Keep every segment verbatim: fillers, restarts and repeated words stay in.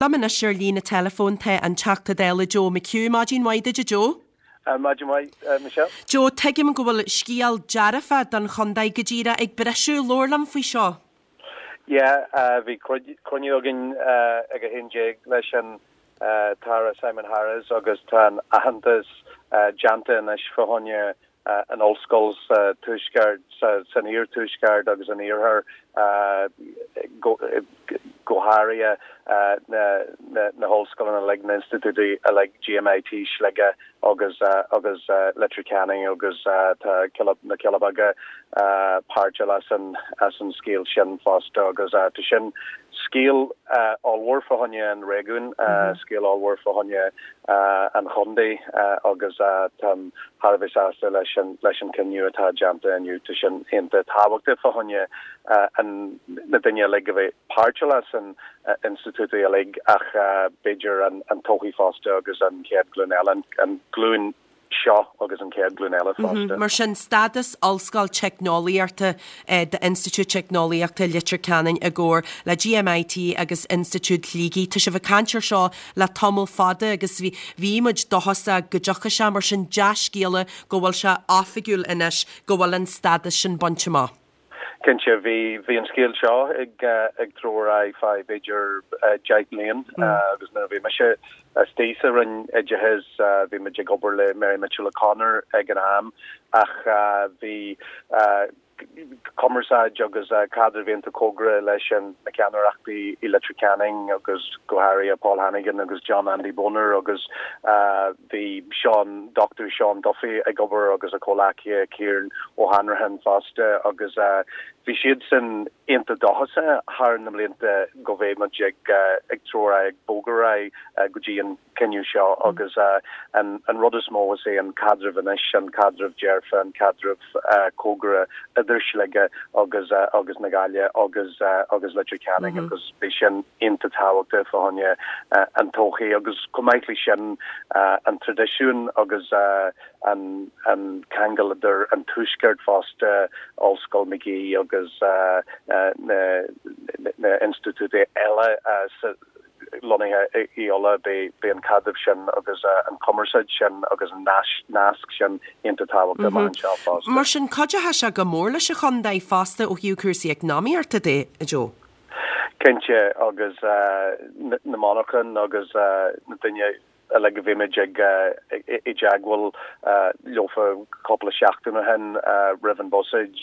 Liom anois ar líne teileafóin tá an Teachta Dála Joe McHugh. Maidin mhaith duit, a Joe. Maidin mhaith, Michelle. Joe, tuigim go bhfuil scéal dearfach don chontae go díreach ag briseadh. Labhair liom faoi seo. Yeah, bhí cruinniú againn ag a haon déag leis an tAire Simon Harris agus tá an aitheantas déanta anois fá choinne an ollscoil sa tuaisceart, san iarthuaisceart agus an iarthar go go háirithe na na hollscoileanna uilig, na institiúidí uilig, G M I T Sligeach agus agus Leitir Ceanainn agus tá na Cealla Beaga páirteach as an as an scéal sin fosta agus tá sin scéal ollmhór fá choinne an réigiún, scéal ollmhór fá choinne an chontae agus táim thar a bheith sásta leis an leis an cinneadh atá déanta inniu. Tá sin iontach tábhachtach fá choinne an na daoine uilig a bheith páirteach as an institiúidí uilig ach b'fhéidir an an todhchaí fosta agus an chéad ghlúin eile, an glúin seo agus an chéad ghlúin eile fosta. Mar sin stádas Ollscoil Teicneolaíochta d'Institiúid Teicneolaíochta Leitir Ceanainn i gcomhar le G M I T agus Institiúid Shligigh. Tá sibh ag caint ar seo le tamall fada agus bhí bhí muid dóchasach go dtiocfadh sé, mar sin dea-scéala go bhfuil sé oifigiúil anois go bhfuil an stádas sin bainte amach. Cinnte, bhí bhí an scéal seo ag ag treabhadh ar aghaidh feadh b'fhéidir deich mbliain agus nuair a bhí mise istigh sa Roinn Oideachais bhí muid ag obair le Mary Mitchell O'Connor ag an am ach bhí cumarsáid agus caidreamh iontach cóngarach leis an na ceannaireachtaí i Leitir Ceanainn agus go háirithe Paul Hannigan agus John Andy Boner agus bhí Sean Doctor Sean Duffy ag obair agus a chomhghleacaithe Kieran O'Hanrahan fosta agus bhí siad sin iontach dóchasach thar na blianta go mbeadh muid ag ag treabhadh ag bogadh go dtí an cinneadh seo agus an an rud is mó is é an caidreamh anois, an caidreamh dearfa, an caidreamh cóngarach idir Sligeach agus agus na Gaillimhe agus agus Leitir Ceanainn agus bhí sin iontach tábhachtach fá choinne an todhchaí agus chomh maith leis sin an traidisiún agus an an ceangal idir an tuaisceart fosta, Ollscoil Magee agus na na institiúidí eile lonnaithe i Uladh, beidh an caidreamh sin agus an cumarsáid sin agus an nasc sin iontach tábhachtach anseo fosta. Mar sin cuideoidh sé go mór leis an chontae fosta ó thaobh cúrsaí eacnamaíochta de, Joe. Cinnte, agus na monarchain agus na daoine uilig a bhí muid ag i dteagmháil leofa cúpla seachtain ó shin roimh an buiséad,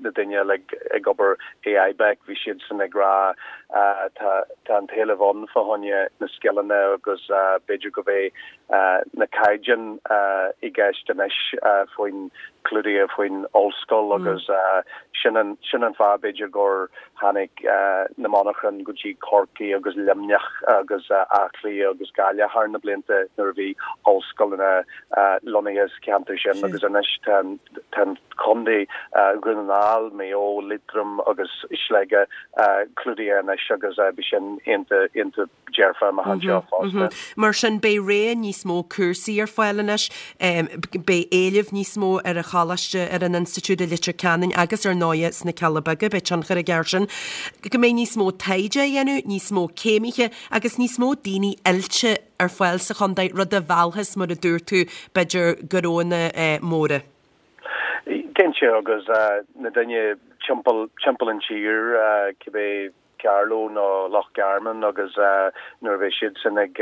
na daoine uilig ag obair i I B E C, bhí siad san ag rá tá tá an t-éileamh ann fá choinne na scileanna agus b'fhéidir go mbeidh na caighdeáin i gceist anois faoin clúdaithe faoin ollscoil agus sin an sin an fáth b'fhéidir gur tháinig na monarchain go dtí Corcaigh agus Luimneach agus Áth Cliath agus Gaillimh thar na blianta nuair a bhí ollscoileanna lonnaithe sa cheantar sin agus anois tá tá contae Dhún na nGall, Maigh Eo, Liatroim agus Sligeach clúdaithe anois agus bhí sin iontach iontach dearfa amach anseo fosta. Mar sin beidh rogha níos mó cúrsaí ar fáil anois, beidh éileamh níos mó ar an choláiste, ar an institiúid i Leitir Ceanainn agus ar ndóigh sna Cealla Beaga, beidh tionchar aige air sin, go mbeidh níos mó taighde a dhéanamh, níos mó céimithe agus níos mó daoine oilte ar fáil sa chontae, rud a mheallfas, mar a dúirt tú, b'fhéidir gnóanna móra. Cinnte, agus na daoine timpeall timpeall an tír, cibé Carlow nó Loch Garman, agus nuair a bheidh siad sin ag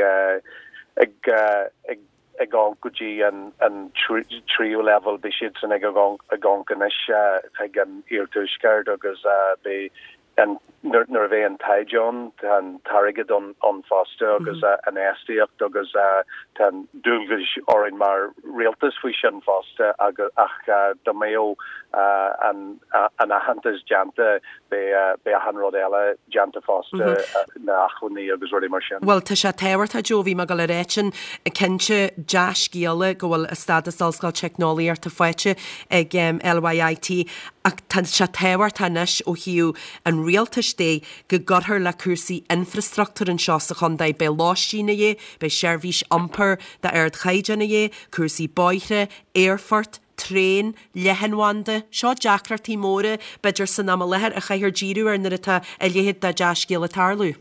ag ag ag dul go dtí an an tríú leibhéal, beidh siad sin ag ag amharc anois chuig an iarthuaisceart agus beidh an nuair a bheidh an taighde ann, tá an t-airgead ann ann fosta agus an infheistíocht agus tá an dualgas orainn mar rialtas faoi sin fosta agus ach dá mbeadh an an aitheantas déanta, beidh beidh achan rud eile déanta fosta, na hacmhainní agus rudaí mar sin. Bhuel, tá sé tábhachtach, Joe, bhí mé ag dul a ráit sin, cinnte dea-scéala go bhfuil a stádas Ollscoil Teicneolaíochta faighte ag L Y I T ach tá sé tábhachtach anois ó thaobh an rialtais de go gcuirfear le cúrsaí infreastruchtúir anseo sa chontae. Beidh lóistín a dhíth, beidh seirbhís iompair d'ardchaighdeán a dhíth, cúrsaí bóithre, aerfort, traein, leathanbhanda. Seo deacrachtaí móra b'fhéidir san am i láthair a chaithfear díriú air nuair atá a leithéid de dea-scéal ag tarlú.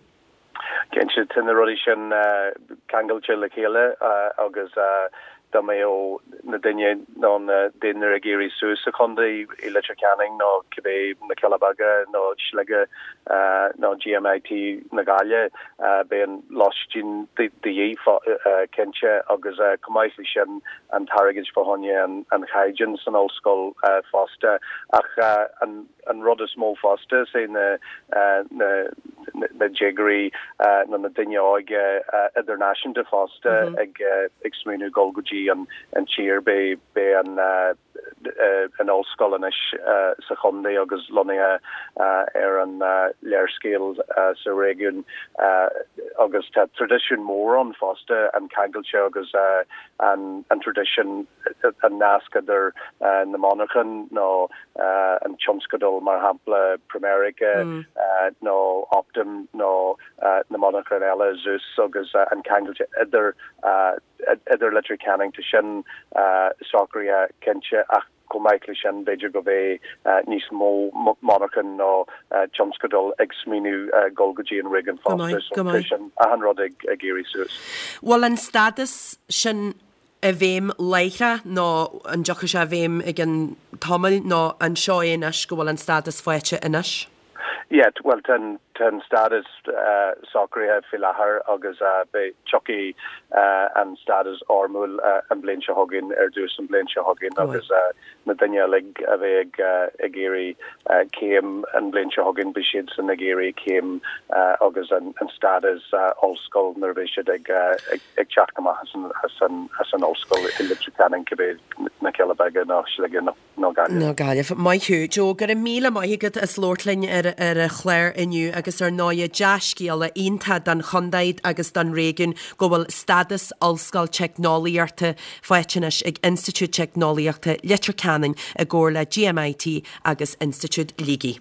Cinnte tá na rudaí sin ceangailte le chéile agus dá mbeadh na daoine nó na daoine ag éirí suas sa chontae i Leitir Ceanainn nó cibé na Cealla Beaga nó Sligeach nó GMIT na Gaillimhe beidh an lóistín de dhíth cinnte agus chomh maith leis sin an t-airgead fá choinne an chaighdeán san ollscoil fosta ach an an rud is mó fosta sé na na na déagóirí nó na daoine óga idirnáisiúnta fosta ag ag smaoineamh dul go dtí an an tír beidh beidh an an ollscoil anois sa chontae agus lonnaithe ar an léarscáil sa réigiún agus tá traidisiún mór ann fosta an ceangailte agus an an traidisiún an nasc idir na monarchan nó an tionscadal mar shampla Primerica nó Optum nó na monarchan eile Zeus agus an ceangailte idir idir Leitir Ceanainn tá sin socraithe cinnte ach chomh maith leis sin b'fhéidir go mbeidh níos mó monarchan nó tionscadal ag smaoineamh dul go dtí an réigiún fosta so sin achan rud ag ag éirí suas. Bhfuil an stádas sin i bhfeidhm láithreach nó an dtiocfaidh sé i bhfeidhm i gceann tamaill nó an seo é anois go bhfuil an stádas faighte anois? Yeah, well tá an stádas uh, socraithe faoi láthair agus uh, beidh tiocfaidh uh, an stádas foirmiúil uh, an bhliain seo chugainn ar dtús an bhliain seo chugainn agus uh, na daoine uilig a bheidh ag uh, ag iarraidh uh, céim an bhliain seo chugainn beidh siad san ag iarraidh céim uh, agus an, an stádas uh, ollscoil nuair a bheidh siad ag, uh, ag, ag teacht amach as an, as an, as an ollscoil i Leitir Ceanainn cibé na Cealla Beaga nó Sligeach nó nó Gaillimh. Nó Gaillimh. Maith thú Joe go raibh míle maith agat as labhairt linn ar ar an chlár inniu agus ar ndóigh dea-scéala iontach don chontae agus don réigiún go bhfuil stádas ollscoil teicneolaíochta faighte anois ag Institiúid Teicneolaíochta Leitir Ceanainn i gcomhar le GMIT agus Institiúid Shligigh.